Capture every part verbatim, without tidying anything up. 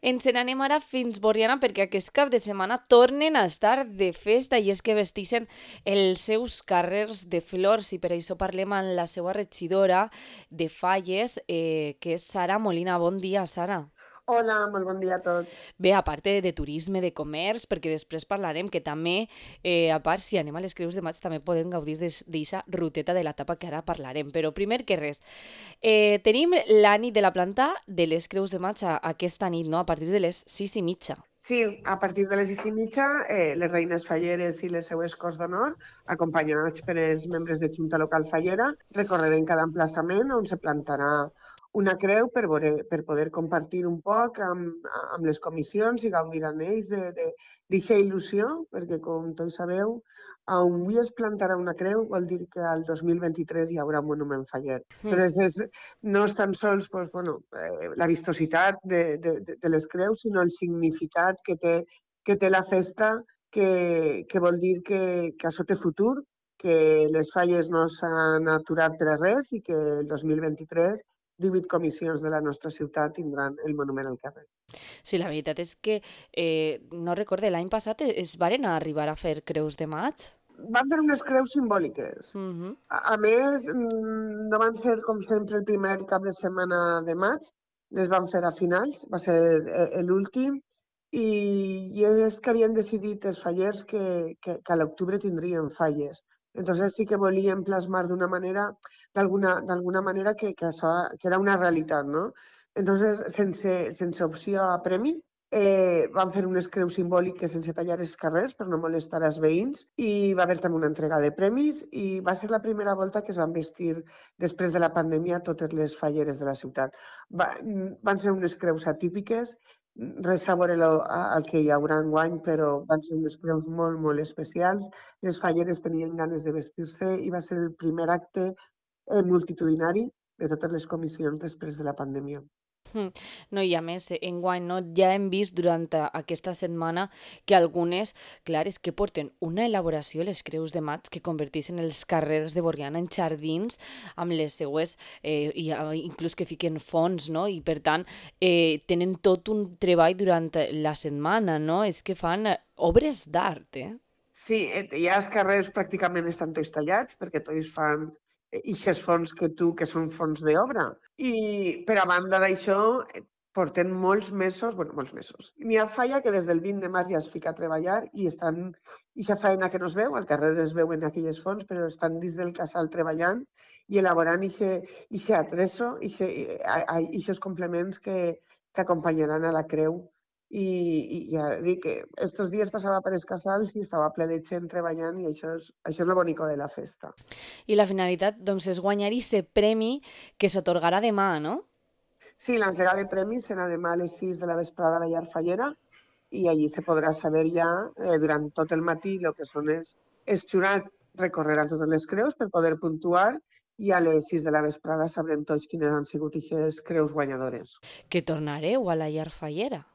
Ens n'anem ara fins Borriana perquè aquest cap de setmana tornen a estar de festa i és que vestixen els seus carrers de flors i per això parlem amb la seva regidora de Falles, eh, que és Sara Molina. Bon dia, Sara. Hola, molt bon dia a tots. Bé, a part de, de turisme, de comerç, perquè després parlarem que també, eh, a part, si anem a les Creus de Maig, també podem gaudir d'aquesta ruteta de la tapa que ara parlarem. Però primer que res, eh, tenim la nit de la planta de les Creus de Maig a, aquesta nit, no? A partir de les sis i mitja. Sí, a partir de les sis i mitja, eh, les reines falleres i les seues cors d'honor, acompanyats per els membres de Junta Local Fallera, recorreren cada emplaçament on se plantarà una creu per, veure, per poder compartir un poc amb, amb les comissions i gaudir amb ells d'aquesta il·lusió, perquè com tots sabeu, on avui es plantarà una creu vol dir que al dos mil vint-i-tres hi haurà un monument faller. Mm. Entonces, és, no és tan sols pues, bueno, eh, la vistositat de, de, de les creus, sinó el significat que té, que té la festa, que, que vol dir que, que això té futur, que les falles no s'han aturat per a res i que el dos mil vint-i-tres divuit comissions de la nostra ciutat tindran el monument al carrer. Sí, la veritat és que eh, no recorde, l'any passat es varen arribar a fer Creus de Maig. Van fer unes creus simbòliques. Mm -hmm. A, a més, no van ser, com sempre, el primer cap de setmana de maig, les van fer a finals, va ser l'últim, i, i és que havien decidit els fallers que, que, que a l'octubre tindrien falles. Entonces sí que volien plasmar d'una manera, d'alguna manera que, que, això, que era una realitat, no? Entonces, sense, sense opció a premi, Eh, van fer unes creus simbòliques sense tallar els carrers per no molestar els veïns i va haver també una entrega de premis i va ser la primera volta que es van vestir després de la pandèmia totes les falleres de la ciutat. Va, van ser unes creus atípiques, res a veure el que hi haurà enguany, però van ser unes creus molt, molt especials. Les falleres tenien ganes de vestir-se i va ser el primer acte eh, multitudinari de totes les comissions després de la pandèmia. No, i a més, enguany no, ja hem vist durant aquesta setmana que algunes, clar, és que porten una elaboració, les Creus de Maig, que converteixen els carrers de Borriana en jardins amb les seues, eh, i inclús que fiquen fons, no? I per tant, eh, tenen tot un treball durant la setmana, no? És que fan obres d'art, eh? Sí, ja els carrers pràcticament estan tots tallats perquè tots fan ixes fons que tu, que són fons d'obra. I per a banda d'això, porten molts mesos, bueno, molts mesos. N'hi ha falla que des del vint de març ja es fica a treballar i estan, ixa feina que no es veu, al carrer es veuen aquelles fonts, però estan dins del casal treballant i elaborant ixe atreso, ixos complements que, que acompanyaran a la creu. I, i ja dic que estos dies passava per els casals i estava ple de gent treballant i això és, això és lo bonico de la festa. I la finalitat, doncs, és guanyar aquest premi que s'atorgarà demà, no? Sí, l'entrega de premis serà demà a les sis de la vesprada a la llar Fallera i allí se podrà saber ja eh, durant tot el matí el que són els, els jurats recorreran totes les creus per poder puntuar i a les sis de la vesprada sabrem tots quines han sigut aquestes creus guanyadores. Que tornareu a la llar Fallera.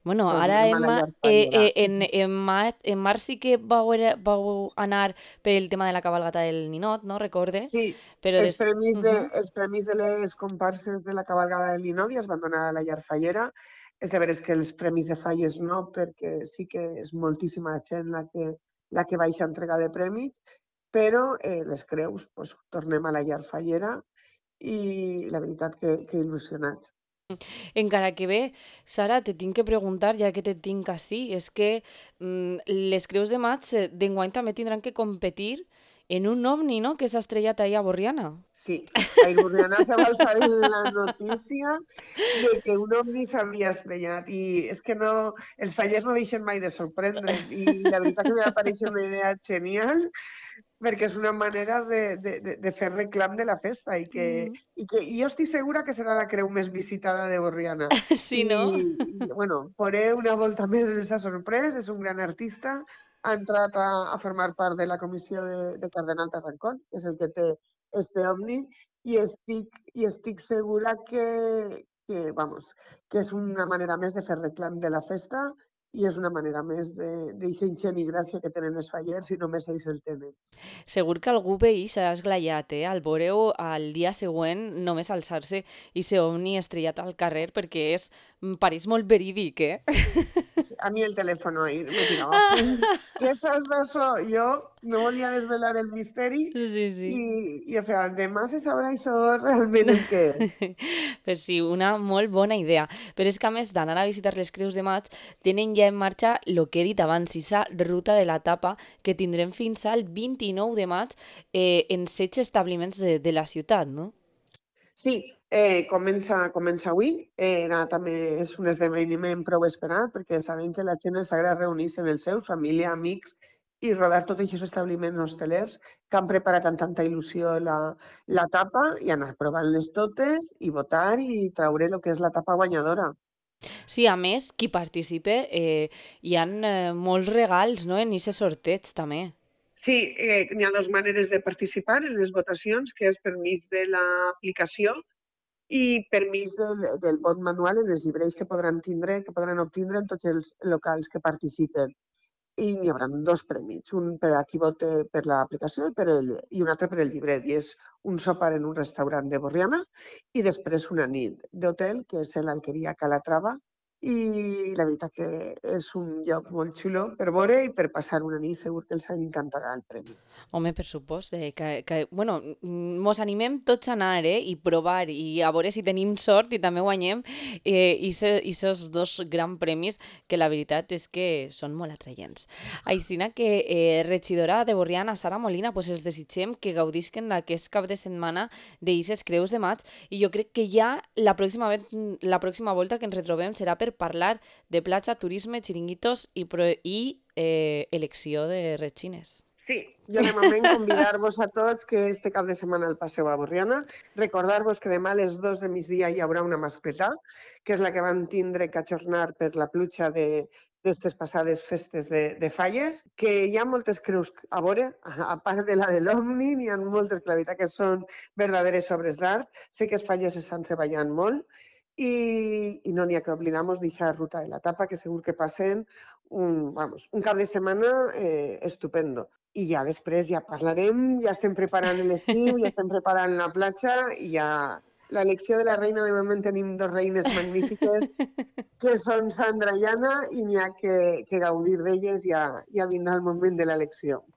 Bueno, ara Tornem a en, la ma, llar eh, Fallera. eh, en, en, ma, en març sí que vau, vau anar per el tema de la cabalgata del Ninot, no? Recorde. Sí, Però els des... premis, Uh de, -huh. els premis de les comparses de la cabalgada de l'Inodi es van donar a la llar Fallera. És de veres que els premis de falles no, perquè sí que és moltíssima gent la que, la que baixa a entregar de premis, però eh, les creus, pues, tornem a la llar Fallera i la veritat que, que il·lusionat. Encara que bé, Sara, te tinc que preguntar, ja que te tinc així, és que mm, les Creus de Maig d'enguany també tindran que competir en un ovni, no?, que s'ha estrellat ahir a Borriana. Sí, a Burriana se va alçar la notícia de que un ovni s'havia estrellat i és que no, els fallers no deixen mai de sorprendre i la veritat que m'ha pareixer una idea genial perquè és una manera de, de, de, de fer reclam de la festa i que, Mm. i que i jo estic segura que serà la creu més visitada de Borriana. Sí, I, no? i bueno, veuré una volta més de s'ha sorprès, és un gran artista, ha entrat a, a formar part de la comissió de, de Cardenal Tarrancón, que és el que té este ovni, i estic, i estic segura que, que, vamos, que és una manera més de fer reclam de la festa i és una manera més de d'eixa ingent i gràcia que tenen els fallers i només ells el tenen. Segur que algú veí s'ha esglaiat, eh, al veure-ho al dia següent només alçar-se i ser ovni estrellat al carrer perquè és mm, pareix molt verídic, eh? A mi el telèfon ahir me tirava fum. Què saps d'això? Jo no volia desvelar el misteri Sí, i, sí. i o sigui, demà se sabrà això realment el que és. Pues sí, una molt bona idea. Però és que a més d'anar a visitar les Creus de Maig, tenen ja en marxa el que he dit abans, esa ruta de la tapa que tindrem fins al vint-i-nou de maig eh, en setze establiments de, de la ciutat, no? Sí, eh, comença, comença avui. Eh, era, també és un esdeveniment prou esperat perquè sabem que la gent els agrada reunir-se amb els seus, família, amics, i rodar tots aquests establiments hostelers que han preparat amb tanta il·lusió la, la tapa i anar provant-les totes i votar i traure el que és la tapa guanyadora. Sí, a més, qui participe, eh, hi han eh, molts regals, no?, en aquest sorteig, també. Sí, eh, hi ha dues maneres de participar en les votacions, que és per mig de l'aplicació i per mig del, del vot manual en els llibres que podran tindre, que podran obtindre en tots els locals que participen. I n'hi haurà dos premis, un per a qui vote per l'aplicació i, per el, i un altre per el llibret. I és un sopar en un restaurant de Borriana i després una nit d'hotel, que és l'Alqueria Calatrava. I la veritat que és un lloc molt xulo per veure i per passar una nit. Segur que els encantarà el premi. Home, per supost, eh, que, que, bueno, mm, mos animem tots a anar, eh, i provar, i a veure si tenim sort i també guanyem eh, i aquests dos grans premis que la veritat és que són molt atraients. Aixina que, eh, regidora de Borriana, Sara Molina, pues els desitgem que gaudisquen d'aquest cap de setmana d'eixes Creus de Maig i jo crec que ja la pròxima, la pròxima volta que ens retrobem serà per parlar de platja, turisme, xiringuitos i, pro, i eh, elecció de retxines. Sí, jo de moment convidar-vos a tots que este cap de setmana el passeu a Borriana. Recordar-vos que demà a les dos de migdia hi haurà una mascletà, que és la que van tindre que ajornar per la pluja de d'aquestes passades festes de, de falles, que hi ha moltes creus a veure, a part de la de l'Omni, n'hi ha moltes que la veritat que són verdaderes obres d'art. Sé que els fallers estan treballant molt i, i no n'hi ha que oblidar-nos d'aquesta ruta de la tapa, que segur que passen un, vamos, un cap de setmana eh, estupendo. I ja després ja parlarem, ja estem preparant l'estiu, ja estem preparant la platja i ja l'elecció de la reina, de moment tenim dos reines magnífiques que són Sandra i Anna i n'hi ha que, que gaudir d'elles, ja, ja vindrà el moment de l'elecció.